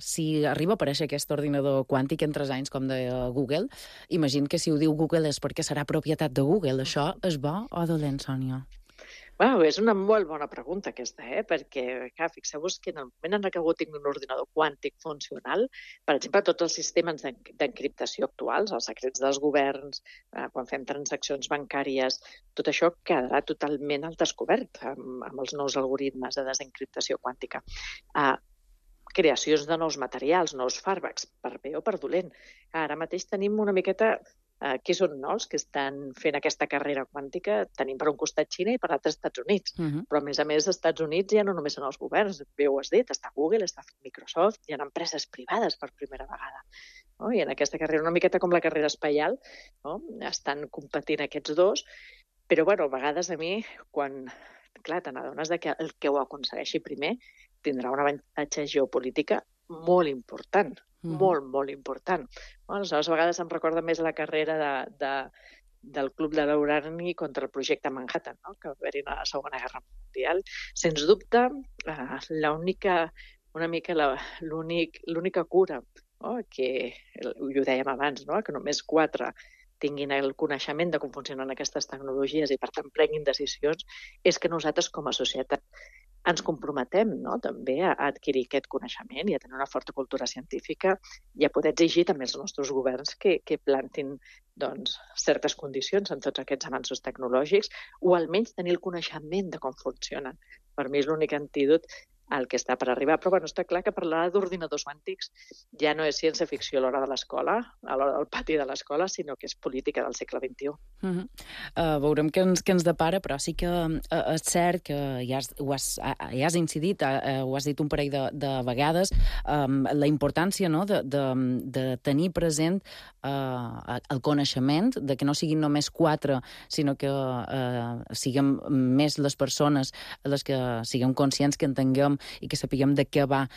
si arriba a aparèixer aquest ordinador quàntic en 3 anys, com deia Google, imagino que si ho diu Google és perquè serà propietat de Google. Això és bo o dolent, Sònia? És una molt bona pregunta aquesta, perquè fixeu-vos que en el moment en què algú tingui un ordinador quàntic funcional, per exemple, tots els sistemes d'encriptació actuals, els secrets dels governs, quan fem transaccions bancàries, tot això quedarà totalment al descobert amb els nous algoritmes de desencriptació quàntica. Creacions de nous materials, nous fàrmacs, per bé o per dolent. Ara mateix tenim una miqueta... Qui són els que estan fent aquesta carrera quàntica? Tenim per un costat Xina i per l'altre Estats Units. Però, a més, als Estats Units ja no només són els governs, bé ho has dit, està Google, està Microsoft, hi ha empreses privades per primera vegada. I en aquesta carrera, una miqueta com la carrera espaial, estan competint aquests dos, però, a vegades a mi, quan, clar, te n'adones que el que ho aconsegueixi primer tindrà un avantatge geopolítica molt important, molt important. Aleshores, a vegades em recorda més la carrera del Club de l'Urani contra el projecte Manhattan, que va haver-hi a la Segona Guerra Mundial. Sens dubte, l'única cura, que ho dèiem abans, que només 4 tinguin el coneixement de com funcionen aquestes tecnologies i, per tant, prenguin decisions, és que nosaltres, com a societat, ens comprometem també a adquirir aquest coneixement i a tenir una forta cultura científica i a poder exigir també als nostres governs que plantin certes condicions en tots aquests avanços tecnològics o almenys tenir el coneixement de com funcionen. Per mi és l'únic antídot al que està per arribar. Però està clar que parlar d'ordinadors quàntics ja no és ciència-ficció a l'hora de l'escola, a l'hora del pati de l'escola, sinó que és política del segle XXI. Veurem què ens depara, però sí que és cert que ja has incidit, ho has dit un parell de vegades, la importància de tenir present el coneixement, de que no siguin només 4, sinó que siguem més les persones les que siguem conscients que entenguem sapiguem de què va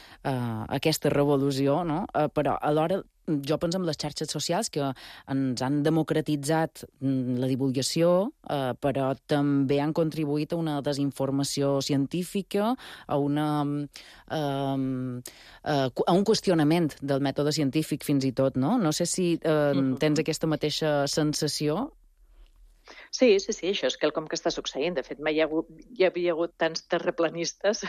aquesta revolució, no? Però alhora jo penso en les xarxes socials que ens han democratitzat la divulgació, però també han contribuït a una desinformació científica, a un qüestionament del mètode científic fins i tot, no? No sé si tens aquesta mateixa sensació. Sí, això és quelcom que està succeint. De fet, mai hi havia hagut tants terraplanistes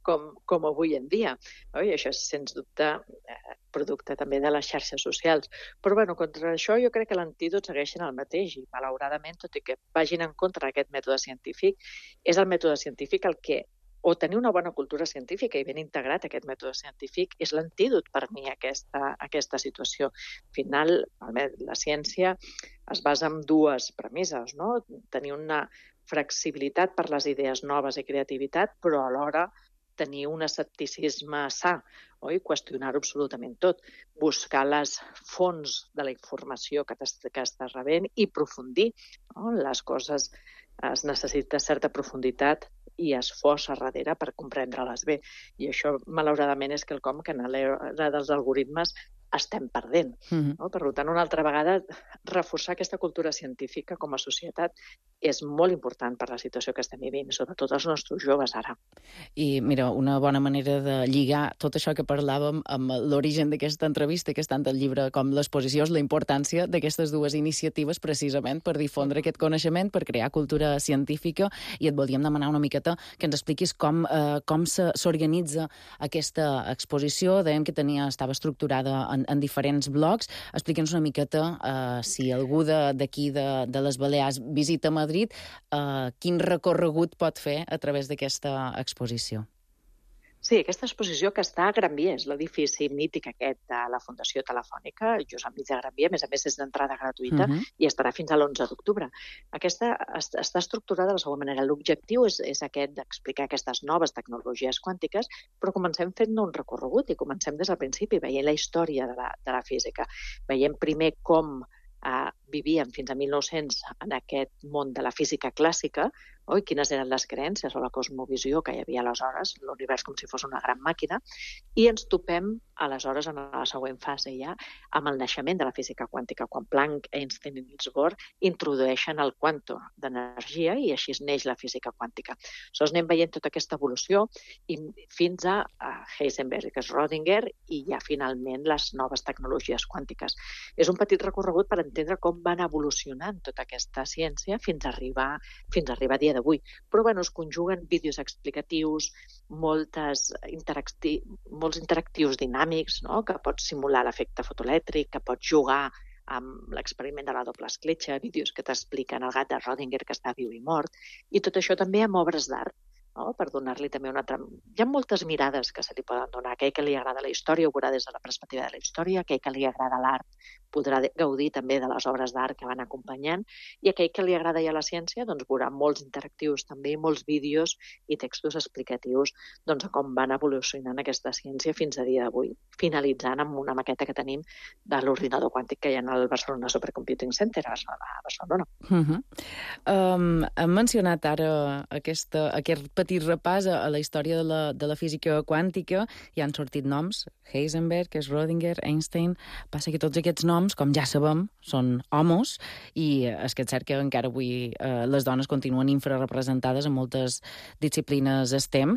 com avui en dia. I això és, sens dubte, producte també de les xarxes socials. Però, contra això jo crec que l'antídot segueix sent el mateix i, malauradament, tot i que vagin en contra d'aquest mètode científic, és el mètode científic el que o tenir una bona cultura científica i ben integrat aquest mètode científic és l'antídot per mi a aquesta situació. Al final, la ciència es basa en dues premisses, no? Tenir una flexibilitat per les idees noves i creativitat, però alhora tenir un escepticisme sa, oi? Qüestionar-ho absolutament tot, buscar les fonts de la informació que estàs rebent i aprofundir, no? Les coses es necessita certa profunditat i esforç a darrere per comprendre-les bé. I això, malauradament, és quelcom que en l'era dels algoritmes estem perdent. No? Per tant, una altra vegada, reforçar aquesta cultura científica com a societat és molt important per la situació que estem vivint, sobretot els nostres joves ara. I, mira, una bona manera de lligar tot això que parlàvem amb l'origen d'aquesta entrevista, que és tant el llibre com l'exposició, és la importància d'aquestes dues iniciatives precisament per difondre aquest coneixement, per crear cultura científica, i et volíem demanar una miqueta que ens expliquis com s'organitza aquesta exposició. Dèiem que estava estructurada en diferents blocs. Explica'ns una miqueta si algú d'aquí de les Balears visita Madrid, quin recorregut pot fer a través d'aquesta exposició. Sí, aquesta exposició que està a Gran Via, és l'edifici mític aquest de la Fundació Telefònica, just enmig de Gran Via, a més és d'entrada gratuïta, i estarà fins a l'11 d'octubre. Aquesta està estructurada de la següent manera. L'objectiu és aquest d'explicar aquestes noves tecnologies quàntiques, però comencem fent un recorregut i comencem des del principi, veient la història de la física. Veiem primer com vivíem fins a 1900 en aquest món de la física clàssica, quines eren les creences o la cosmovisió que hi havia aleshores, l'univers com si fos una gran màquina, i ens topem aleshores en la següent fase ja amb el naixement de la física quàntica, quan Planck, Einstein i Niels Bohr introdueixen el quantum d'energia i així neix la física quàntica. Aleshores anem veient tota aquesta evolució i fins a Heisenberg, que és Schrödinger, i ja finalment les noves tecnologies quàntiques. És un petit recorregut per entendre com van evolucionant tota aquesta ciència fins a arribar a dia d'avui. Però es conjuguen vídeos explicatius, molts interactius dinàmics, no? Que pots simular l'efecte fotoelèctric, que pots jugar amb l'experiment de la doble escletxa, vídeos que t'expliquen el gat de Schrödinger que està viu i mort, i tot això també amb obres d'art, no? Per donar-li també una altra... Hi ha moltes mirades que se li poden donar. Aquell que li agrada la història ho veurà des de la perspectiva de la història, aquell que li agrada l'art podrà gaudir també de les obres d'art que van acompanyant, i aquell que li agrada ja la ciència veurà molts interactius també, molts vídeos i textos explicatius de com van evolucionant aquesta ciència fins a dia d'avui, finalitzant amb una maqueta que tenim de l'ordinador quàntic que hi ha al Barcelona Supercomputing Center a Barcelona. Hem mencionat ara aquest petit repàs a la història de la física quàntica. Hi han sortit noms, Heisenberg, Schrödinger, Einstein. Passa que tots aquests noms, com ja sabem, són homes, i és que és cert que encara avui les dones continuen infrarrepresentades en moltes disciplines STEM.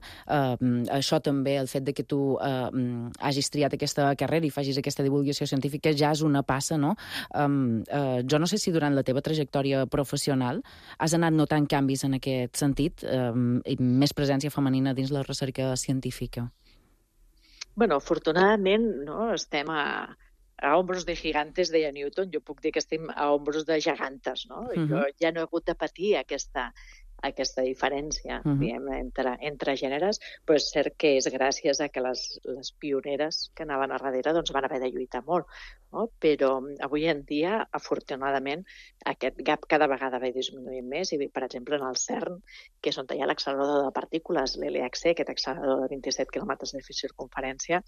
Això també, el fet que tu hagis triat aquesta carrera i facis aquesta divulgació científica, ja és una passa, no? Jo no sé si durant la teva trajectòria professional has anat notant canvis en aquest sentit, i més presència femenina dins la recerca científica. Afortunadament, no, estem a hombros de gigantes, deia Newton. Jo puc dir que estem a hombros de gegantes, no? Jo ja no he hagut de patir aquesta diferència entre gèneres, però és cert que és gràcies a que les pioneres que anaven a darrere van haver de lluitar molt. No? Però avui en dia, afortunadament, aquest gap cada vegada va disminuint més i, per exemple, en el CERN, que és on hi ha l'accelerador de partícules, l'LHC, aquest accelerador de 27 quilòmetres de circunferència,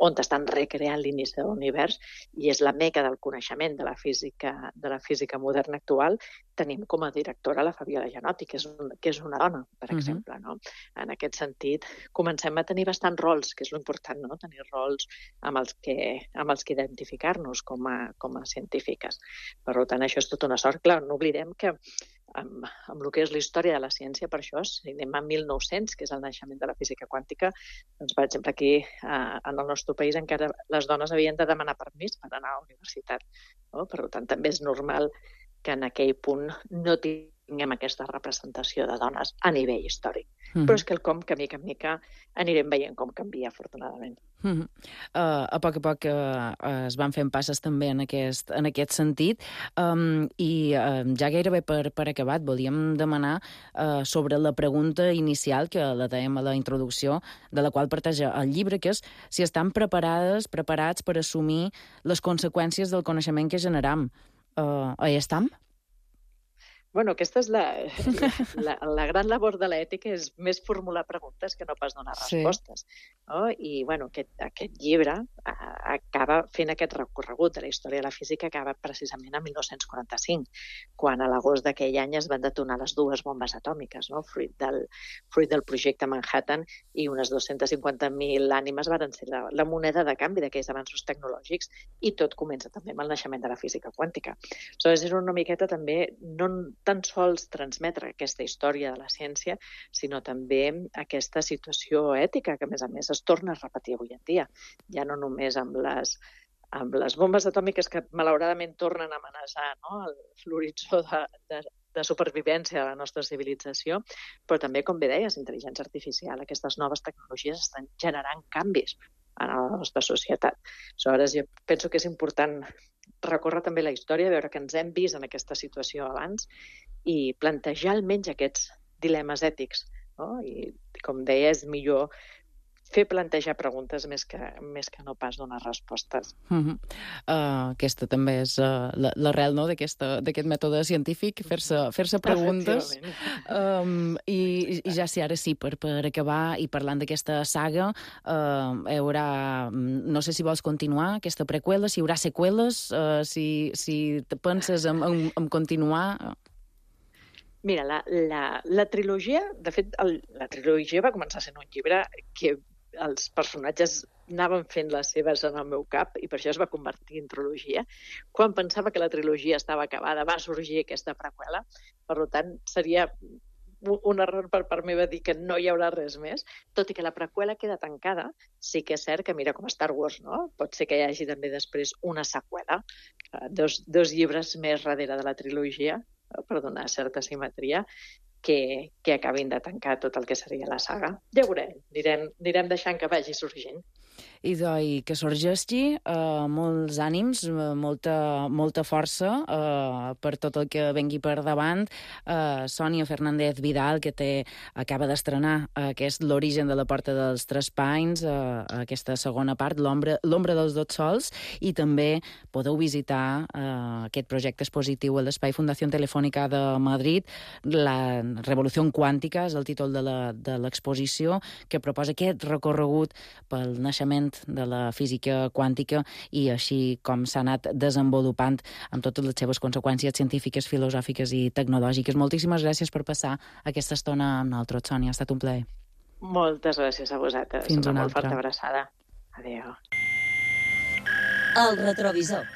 on estan recreant l'inici de l'univers, i és la meca del coneixement de la física moderna actual, tenim com a directora la Fabiola Gianotti, que és una dona, per exemple. No? En aquest sentit, comencem a tenir bastants rols, que és l'important, no? Tenir rols amb els que identificar-nos com a científiques. Per tant, això és tota una sort. Clar, no oblidem que amb el que és la història de la ciència, per això, si anem a 1900, que és el naixement de la física quàntica, doncs, per exemple, aquí en el nostre país encara les dones havien de demanar permís per anar a la universitat. No? Per tant, també és normal que en aquell punt no tinguem aquesta representació de dones a nivell històric. Però és quelcom que, mica en mica, anirem veient com canvia, afortunadament. A poc es van fent passes també en aquest sentit, i ja gairebé per acabat volíem demanar sobre la pregunta inicial, que la dèiem a la introducció, de la qual parteix el llibre, que és si estan preparats per assumir les conseqüències del coneixement que generam. Hi estem? Bueno, aquesta és la gran labor de l'ètica, és més formular preguntes que no pas donar respostes. No? I bueno, aquest llibre acaba fent aquest recorregut de la història de la física, acaba precisament en 1945, quan a l'agost d'aquell any es van detonar les dues bombes atòmiques, no? fruit del projecte Manhattan, i unes 250.000 ànimes van ser la moneda de canvi d'aquells avanços tecnològics, i tot comença també amb el naixement de la física quàntica. Aleshores, és una miqueta també no tan sols transmetre aquesta història de la ciència, sinó també aquesta situació ètica que, a més, es torna a repetir avui en dia. Ja no només amb les bombes atòmiques que, malauradament, tornen a amenaçar, no? l'horitzó de supervivència de la nostra civilització, però també, com bé deies, intel·ligència artificial, aquestes noves tecnologies estan generant canvis en la nostra societat. Aleshores, jo penso que és important recórrer també la història, veure que ens hem vist en aquesta situació abans i plantejar almenys aquests dilemes ètics. No? I, com deia, és millor fer plantejar preguntes més que no pas donar respostes. Aquesta també és l'arrel, no? d'aquest mètode científic, fer-se preguntes. I ja sé, ara sí, per acabar, i parlant d'aquesta saga, hi haurà, no sé si vols continuar aquesta preqüela, si hi haurà seqüeles, si penses en continuar. Mira, la trilogia, de fet, la trilogia va començar sent un llibre que els personatges anaven fent les seves en el meu cap, i per això es va convertir en trilogia. Quan pensava que la trilogia estava acabada, va sorgir aquesta preqüela. Per tant, seria un error per part meva dir que no hi haurà res més, tot i que la preqüela queda tancada. Sí que és cert que, mira, com a Star Wars, no? Pot ser que hi hagi també després una seqüela, dos llibres més darrere de la trilogia, per donar certa simetria, que acabin de tancar tot el que seria la saga. Ja veurem, anirem deixant que vagi sorgint. I que sorgeixi, molts ànims, molta força per tot el que vengui per davant. Sònia Fernández Vidal, que acaba d'estrenar l'origen de la Porta dels Tres Panys, aquesta segona part, l'ombra dels dos sols, i també podeu visitar aquest projecte expositiu a l'Espai Fundació Telefònica de Madrid. La Revolució Quàntica és el títol de l'exposició, que proposa aquest recorregut pel naixement de la física quàntica i així com s'ha anat desenvolupant amb totes les seves conseqüències científiques, filosòfiques i tecnològiques. Moltíssimes gràcies per passar aquesta estona amb nosaltres, Sònia. Ha estat un plaer. Moltes gràcies a vosaltres. Fins una molt forta abraçada. Adéu. El retrovisor.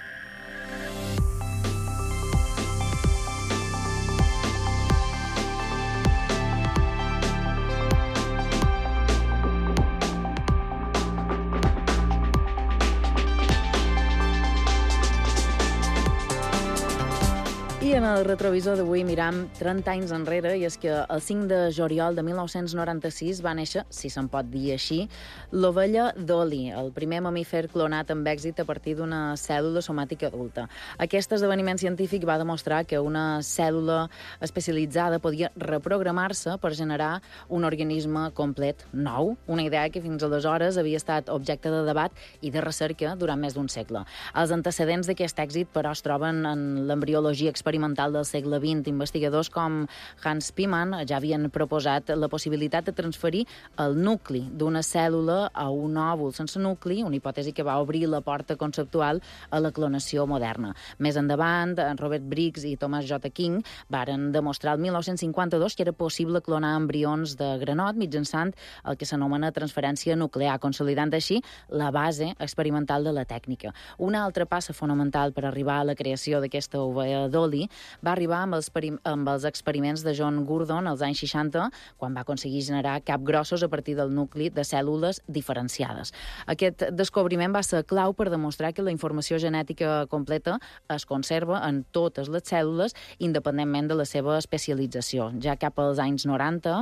I en el retrovisor d'avui miram 30 anys enrere, i és que el 5 de juliol de 1996 va néixer, si se'n pot dir així, l'ovella Dolly, el primer mamífer clonat amb èxit a partir d'una cèl·lula somàtica adulta. Aquest esdeveniment científic va demostrar que una cèl·lula especialitzada podia reprogramar-se per generar un organisme complet nou, una idea que fins aleshores havia estat objecte de debat i de recerca durant més d'un segle. Els antecedents d'aquest èxit, però, es troben en l'embriologia experimental experimental del segle XX. Investigadors com Hans Piemann ja havien proposat la possibilitat de transferir el nucli d'una cèl·lula a un òvul sense nucli, una hipòtesi que va obrir la porta conceptual a la clonació moderna. Més endavant, Robert Briggs i Thomas J. King varen demostrar el 1952 que era possible clonar embrions de granot mitjançant el que s'anomena transferència nuclear, consolidant així la base experimental de la tècnica. Una altra passa fonamental per arribar a la creació d'aquesta ovella Dolly va arribar amb els experiments de John Gurdon als anys 60, quan va aconseguir generar capgrossos a partir del nucli de cèl·lules diferenciades. Aquest descobriment va ser clau per demostrar que la informació genètica completa es conserva en totes les cèl·lules independentment de la seva especialització. Ja cap als anys 90,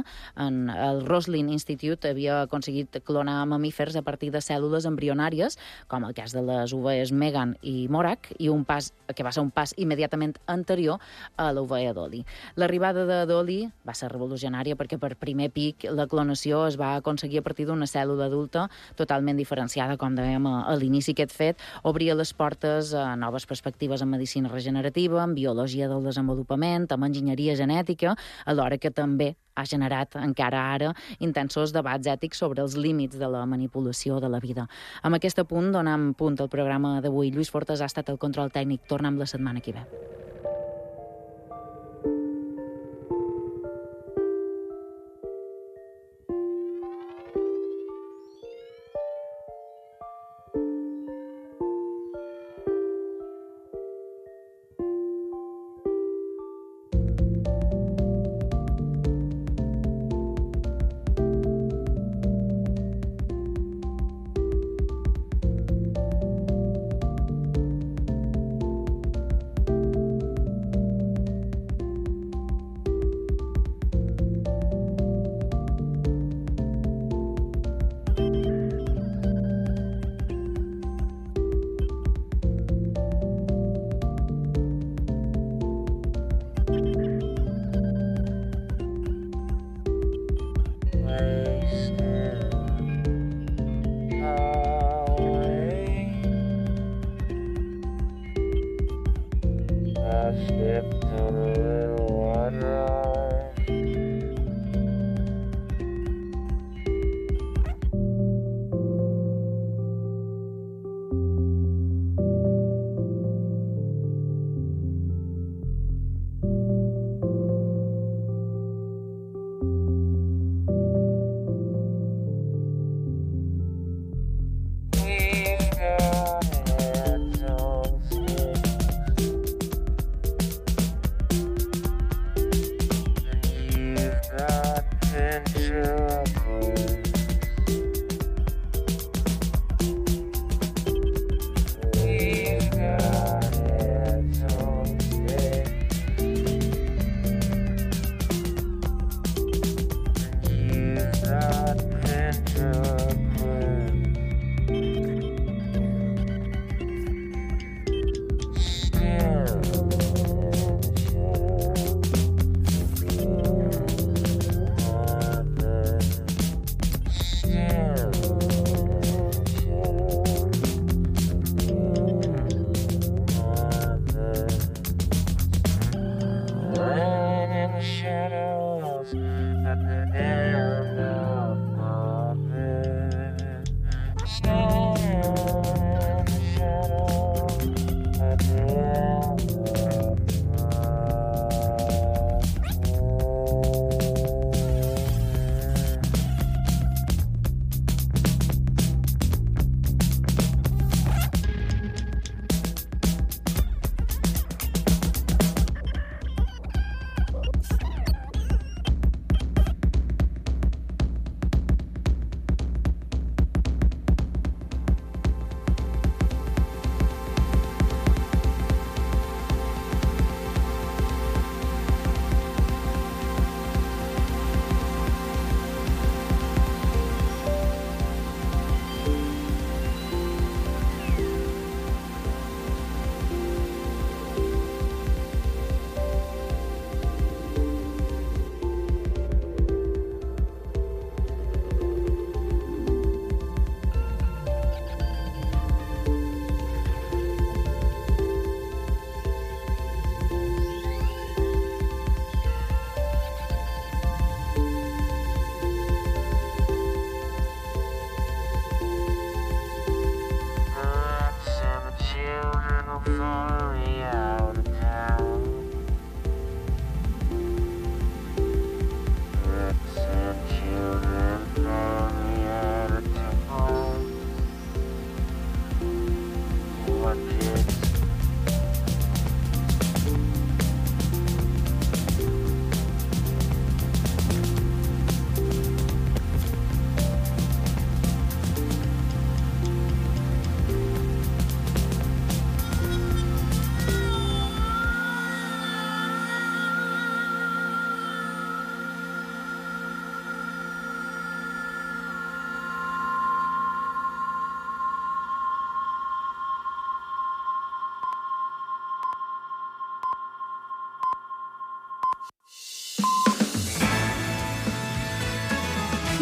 el Roslin Institute havia aconseguit clonar mamífers a partir de cèl·lules embrionàries, com el cas de les ovelles Megan i Morak, i que va ser un pas immediatament anterior a l'ovella Dolly. L'arribada de Dolly va ser revolucionària perquè per primer pic la clonació es va aconseguir a partir d'una cèl·lula adulta totalment diferenciada, com dèiem a l'inici. Aquest fet obria les portes a noves perspectives en medicina regenerativa, en biologia del desenvolupament, en enginyeria genètica, alhora que també ha generat encara ara intensos debats ètics sobre els límits de la manipulació de la vida. Amb aquest punt donem punt al programa d'avui. Lluís Fortes ha estat el control tècnic. Tornem la setmana que ve.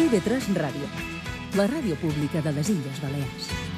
IB3 Ràdio, la ràdio pública de les Illes Balears.